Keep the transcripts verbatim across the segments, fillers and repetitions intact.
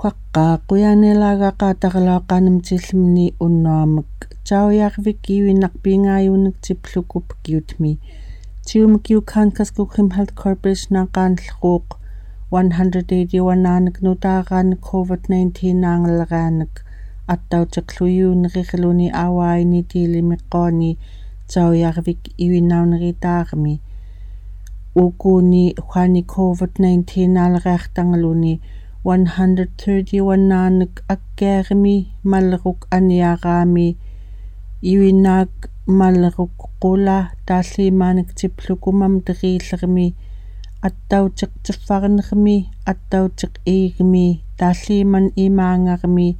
Pakka, kuyan elaga katakala kanem cilmni unomik. Cau yarvik iwinak pingayunik ciplukup kiutmi. Ciumik iukan kaskukrim Health Corporation akan lkuk one hundred eighty-one anak nutakan COVID nineteen angelganak. Atau cekluyu nerikluni awai ni tili mikoni. Cau yarvik iwinau neritarmi. Ukuni kwani COVID nineteen alreaktangluni one hundred thirty-one anak akkermi malruk aniarami. Iwinak malruk kula talimanik cipluku mamteriklrmi. Atau cek cefarnrmi, atau cek igmi, taliman imangarmi,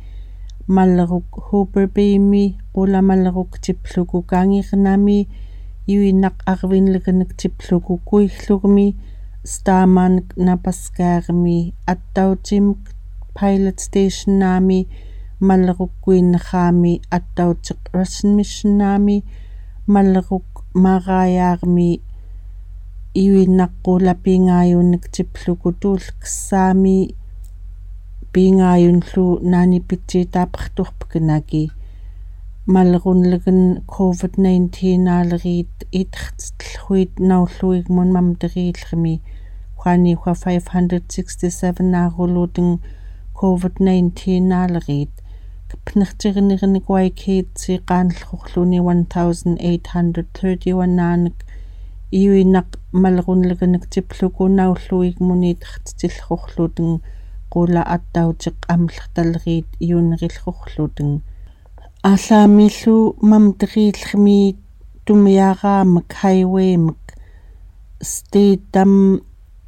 malruk huperbimi, kula malruk cipluku kangirnami, iwinak arvinleknek cipluku kuiklurmi, staman napaskarmi, atau cimk pilot station nami, malruk kuinrami, atau cek Russian mission nami, malruk marayarmi, iwinak kula pingayunik cipluku tulksami, pingayunlu nani pici tapertuhpkenaki. Malrunleken COVID nineteen alrit itrtslhuit naulhuik mun mamteriklrmi. Kwani kwa five hundred sixty-seven aruluteng COVID nineteen alrit. Kpnercirnirnik waikit si kanlhukluni one thousand eight hundred thirty-one anak. Iwinak malrunlekenek cipluku naulhuik mun itrtsilhukluteng kula atau cek amlrtalrit iunrilhukluteng. Alamilu mamteriklrmi tumiaramek highwaymek. Statam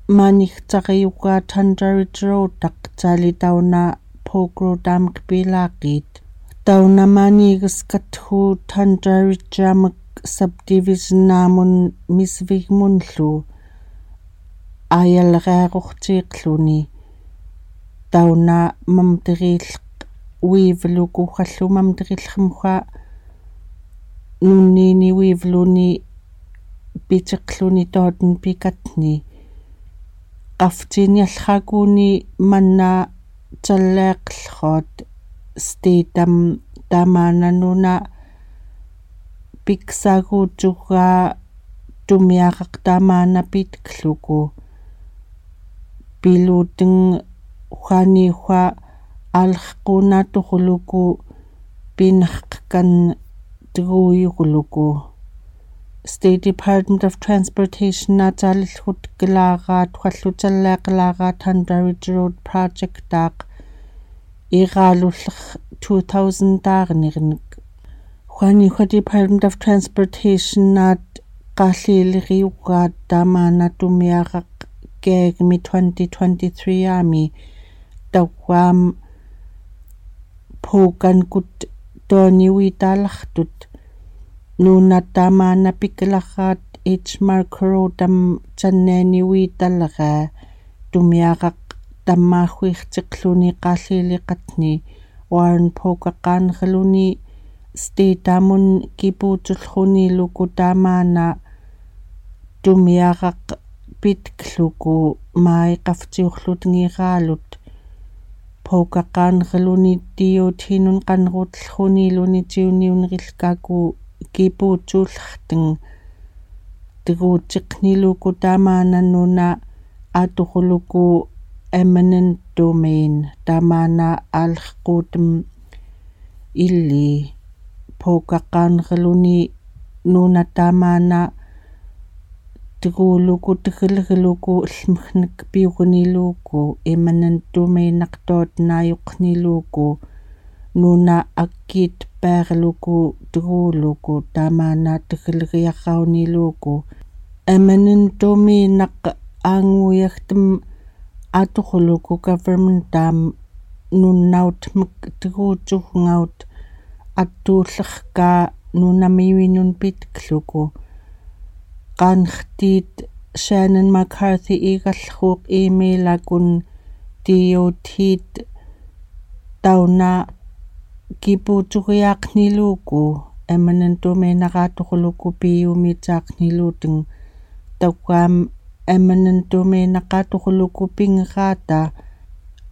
manik cariuka tandari trotak cali tauna pokro dam kpilakit. Tauna manik skathu tandari jamek subdivision namun misvik munlu. Ayal reruk cikluni. Tauna mamterilk wivluku hallu mamterilk mukha nunini wivluni picikluni todn pikatni. Kafcin yalhakuni manna caleklhot statam tamana nuna piksagu juga tumiarak tamana pitkluku. Piluteng hwani hwa alhkuna tuhuluku pinhkkan tguyukluku. State Department of Transportation na calilhut kelaga twallu caleklaga Tandari Road Project tak igalulh two thousand tarnirnik. Hwani hwa Department of Transportation na kaliligiuka tamana tumiarak kegmi twenty twenty-three ami tawam pukan kut toni witalahtut. Nuna tamana piklahat ich markrotam caneni witalaga tumiarak tamahwih cikluni kaliliqatni Warren pokakan geluni stitamun kipuculhuni luku tamana tumiarak pitkluku mai kafciuhlut ngigalut. Pokakan geluni tiut hinun kanrut lhuni luni ciuniun rilkaku kipuculhteng. Tguciqni luku tamana nuna atuhuluku eminent domain tamana alhkutem ili. Pokakan geluni nuna tamana tguluku tglgluku lmhnek piukni luku eminent domain naktot nayukni luku nuna akit perluku tguluku tamana tglgiakauni luku. Eminent domain nak anguyaktem atuhuluku government tam nunnaut mktgucuk ngaut atuhlhka nuna miwinun pitkluku. Kanhtit Shannon McCarthy igalhuk email akun tiutit tauna kipucugiakni luku eminent domain nakatuhuluku piumitakni luteng. Tawam eminent domain nakatuhuluku pingkata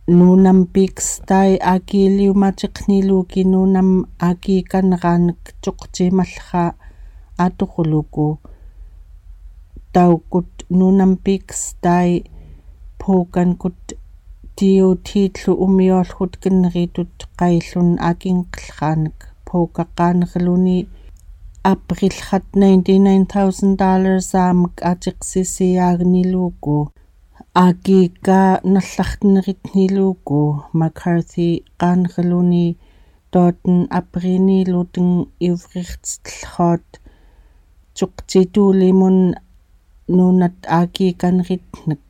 Nunam pikstai aki liumatikniluki nunam aki kanranik tuktimalha atuhuluku. Taukut nunam pikstai pukankut tiutitlu umiolhut kinritut kailun akin klhanik pukakan hluni. Aprilhat ninety-nine thousand dollars amk atiksisiagniluku. Aki ka nallahtinritniluku McCarthy kanhluni toten aprini luteng ivrihts tlhot. Cuktitulimun nunat aki kanritnik.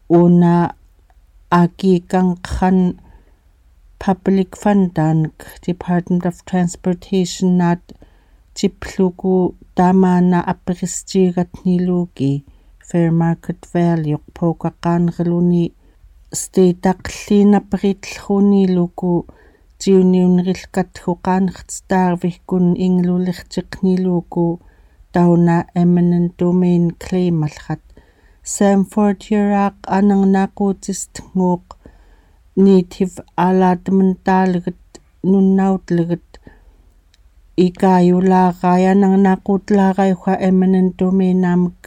Una aki kangkhan public fund dank Department of Transportation nat tipluku tamana aprischigatniluki fair market value pukakan hluni. State aklin apritlhuniluku tiuniunrilkat hukan htstarvihkun inglulihtikniluku tauna eminent domain claim alhat. Sam Fortier ak anang nakutist nguk native allotment talget nunnautleget. Ikayulagai anang nakutlagai hua eminent domain amk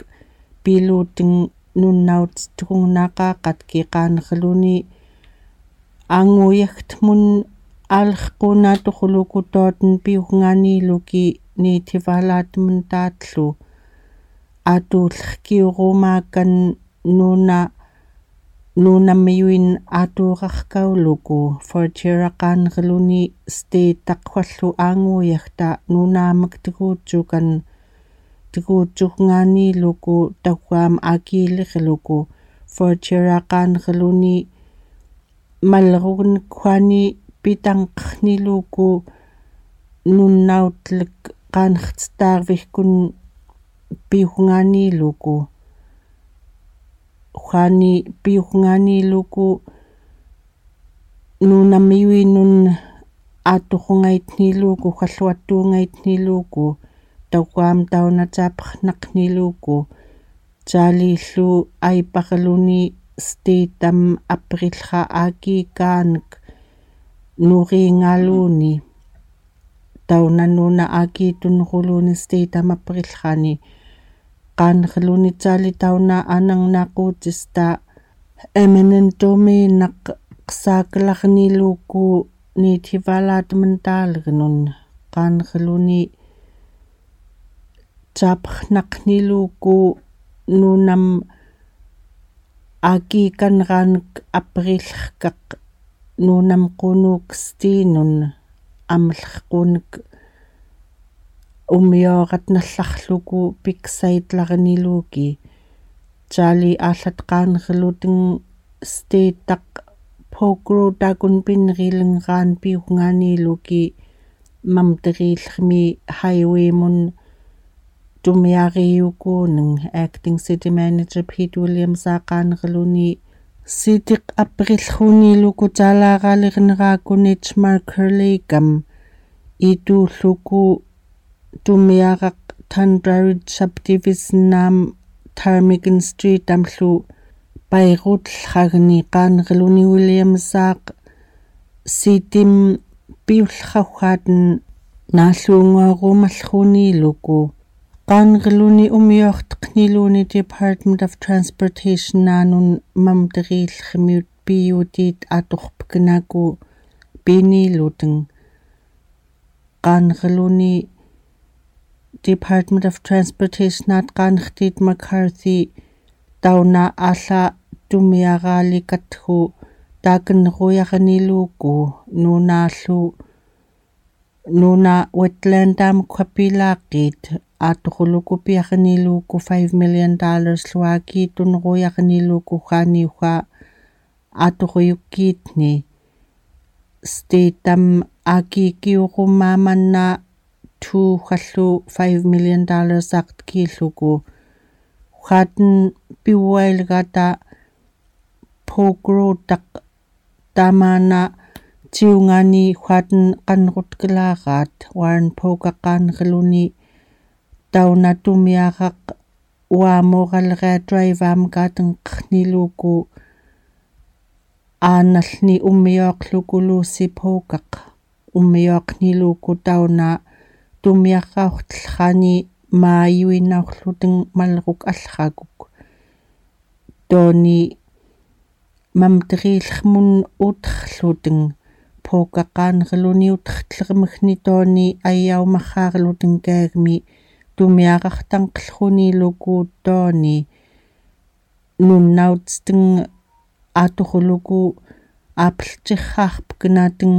piluteng nunnaut tukung nakakat kikan hluni. Anguyakt mun alhkuna tuhuluku toten piuhnganiluki native allotment tatlu. Atulhkiurumakan nuna nunamiwin aturahkauluku Fortier akan hluni state akwallu anguyakta nunamk tgutukan tgutuhnganiluku tauam akilihluku Fortier akan hluni. Malrugnkwani pitangkniluku nunnautlek kanhtstarvihkun piuhnganiluku. Hwani piuhnganiluku nunamiwinun aturungaitniluku hwalhuatungaitniluku tauam tauna taphnakniluku. Calilu aipahluni state am aprilha aki kank nuringaluni. Tauna nuna aki tunhuluni state am aprilhani. Kanhluni cali tauna anang nakutista eminent domain ak qsaklahniluku native allotment talgnun. Kanhluni taphnakniluku nunam aki kanranik aprilhkak nunam qunuk stinun amlhkunik umiorat nallahluku piksaitlarniluki. Cali alhat kanhluteng state ak pokro takun pinrilengan piuhnganiluki mamterilhmi highway mun tumiariukuneng. Acting City Manager Pete Williams akan hluni. Sitik aprilhuniluku calaralir nrakun H Marker Lake am ituluku tumiarak Tundra Ridge Subdivision am Ptarmigan Street amlu pairutlhagni. Kanhluni Williams ak sitim piullhauhatan nalungorumalhuniluku. Kanhluni umiohtkniluni Department of Transportation nanun mamterilhmiut piutit atuhpknaku piniluteng. Kanhluni Department of Transportation at kanhtit McCarthy tauna ala tumiaralikat hu takenruyarniluku nunalu nuna wetland am kwapilakit atuhuluku piarniluku five million dollars luaki tunruyarniluku haniuha atuhuyukitni. State am aki kiurumamanna tuhallu five million dollars aktkilhuku. Hwaten piuwailgata pokrotak tamana tiungani hwaten kanrutklarat Warren Poka kanhluni tauna tumiarak uamoralga drive am katengkniluku. Analni umiokluku Lucy Pocock, umiokniluku tauna tumiarauqtlani mayuinaurluteng malruk alrakuk. Toni mamterilrmun utrluteng Pocock qanerluni utrtlermekni toni ayaumararluteng kegmi tumiaraqtangqlruniluku toni nunnautsteng aturuluku apeltiqaqpeknateng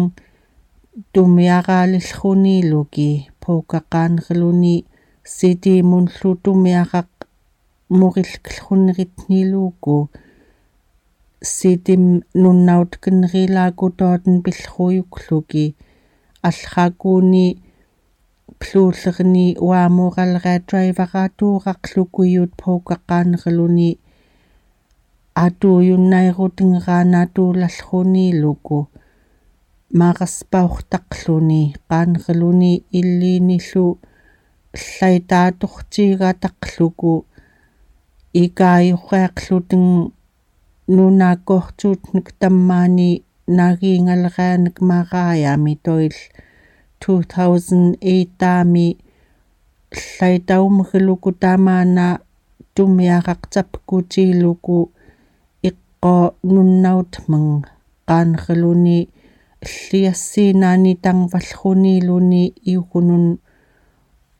tumiaralilruniluki Pocock qanerluni sitimunlu tumiaraq murilklrunritniluku sitim nunnautknrilaku toten pillruyukluki alrakuni plullerni uamuralra driver aturaqluku iut Pocock qanerluni atuujunnairutengrana tulallruniluku maraspaurtaqluni qanerluni illinillu llaitaatuqtigataqluku ikayuqiaqluteng nunakkortuutnek tammani nagingalranek marayami toil two thousand eight-ami llaitaumgluku tamana tumiaraq capkutiluku iqqo nunnautmeng qanerluni lliassinani tangvallruniluni iugnun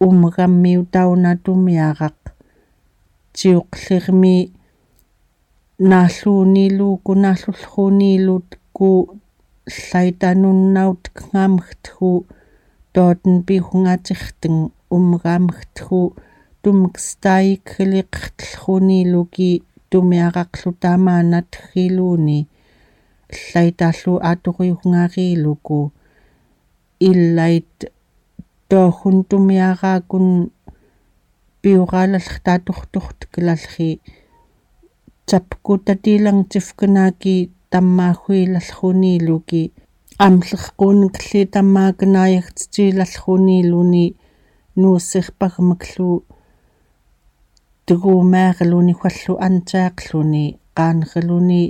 umgammiu tauna tumiaraq ciuqlirmi nalluuniluku nallullruniluku llaitanunnautkengamgtku toten piuhngaciqteng umgamgtku tumkstaikkliqtlruniluki tumiaraqlu tamanatgiluni llaitallu aturyuhngariluku illait tohun tumiarakun piuralalltatuqtuqtklallri capkutatilangcifknaki tammahuilallruniluki amlleqquunekli tammakenayagtjilallruniluni nuusirpagmeklu tugumeerluni huallu antiaqluni qanerluni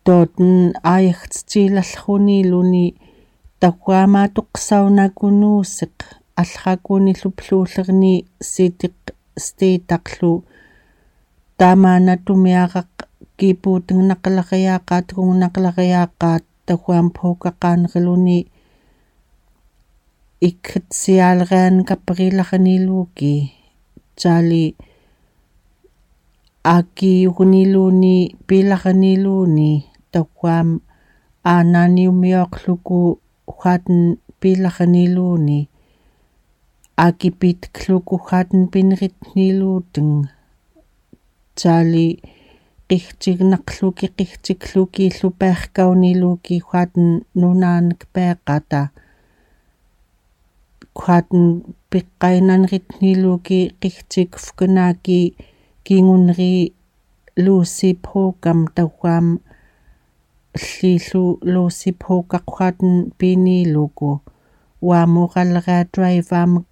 toten ayagtjilallruniluni takuamatuqsaunakunuusiq allrakunillu plullerni sitiq stiitaqlu tamana tumiaraq kipuutengnaqlariaqat tungunaqlariaqat takuam Pocock qanerluni ikketsialrean kaprilarniluki cali akiugniluni pilarniluni takuam anani umioqluku huaten pilarniluni akipitkluku huaten pinritniluteng cali qihtignaqluki qihtikluki llupiaqkauniluki huaten nunanek piqata kuaten piqqainanritniluki qihtikfknaki kingunri Lucy Pocock-am takuam llillu Lucy Pocock kuaten piniluku uamuralra driver-amek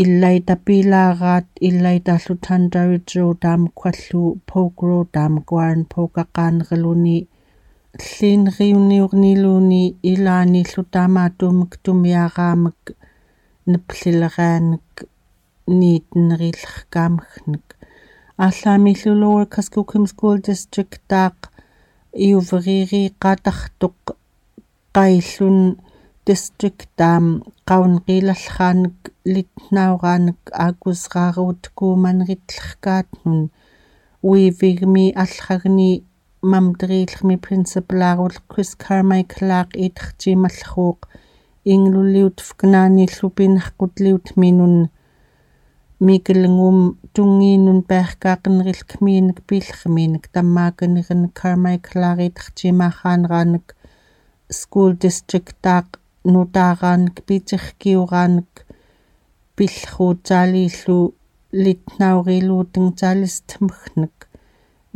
illaitapilarat illaitallu Tandarich Road-amek huallu Polk Road-amek Warren Pocock qanerluni llinriuniurniluni ilanillu tamatumik tumiaramek neplilranek niitnerilerkameknek. Allamillu Lower Kuskokwim School District-aq iuvririqataqtuq qaillun district-am qaunqilallranek litnauranek akusraruut kuumanritlerkaatnun uivigmi allragni mamterillermi principal-arut Chris Carmichael-aq itaqcimallruuq ingluliutfknanillu pinaqutliutminun mikelngum tungiinun piqaqenrilkmiinek pillermiinek tammakeneren Carmichael-aq itaqcimaranranek school district-aq nutaaranek picirkiuranek pillruut calillu litnauriluuteng calistmeknek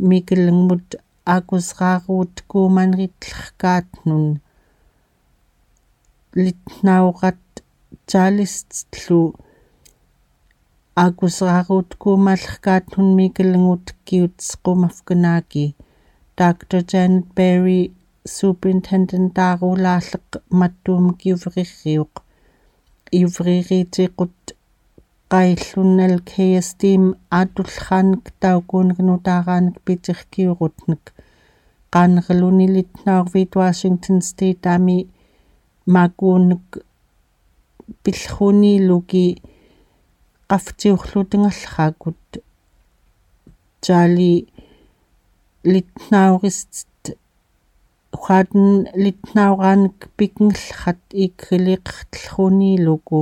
mikelngmut akusraruut kuumanritlerkaatnun litnaurat calistlu akusraruut kuumalerkaatnun mikelngut kiutsqumafknaki Doctor Janet Berry, Superintendent Taarulaarleq, mattuumik iueqirriuq. Iueqirriitiqut qaillun L K S T-mi aatulleraanik taukuunik nutaaraanik piterkiurutnik. Qaanerluni Litnaurviit Washington State-ami makuunik pillrunilugi qaftiurlutengerlerakkut Charlie Litnaurist. Uatten Litnauraanik pikingerlerat ikriliqertelrunilugu.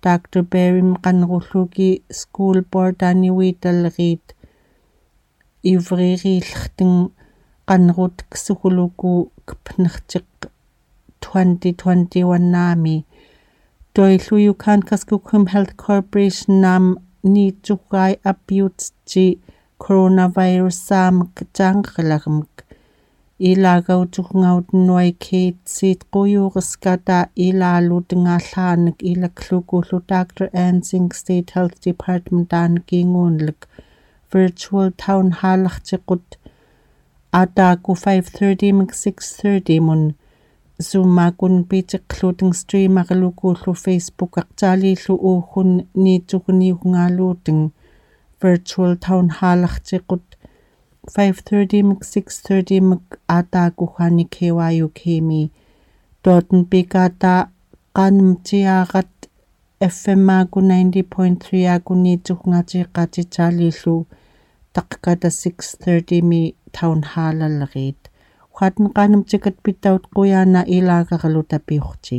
Doctor Berry-mi qanerullugi school board-ani uitaleriit iueqirriillerteng qaneruteksugulugu Kipnertik twenty twenty-one-ami. Toillu Yukon Kuskokwim Health Corporation-am niitsugai apiutsi coronavirus-aamik taangeqilagermik. Ilaagautukungautnguai Kate Seid qujuqeskata ilaalutengaallaanik ilaklukullu Doctor Ann Singh State Health Department-aanikinguunlek. Virtual town hall-ertiqut ataaku five thirty-mik six thirty-mun. Zoom-akkun piteqluteng stream-arelukullu Facebook-aq Charlie-llu uukun niitsuguniukungaaluuteng. Virtual town hall-ertiqut five thirty-mik six thirty-mik ataaku uani K Y U K-mi. Totten pikata qanemtiarat F M-akkun ninety point three-akkun niitsukungatiqati Charlie-llu taqkata six thirty-mi town hall-alerit. Uatten qanemtikat pitaut qujaana ilaagaqaluta piuqti.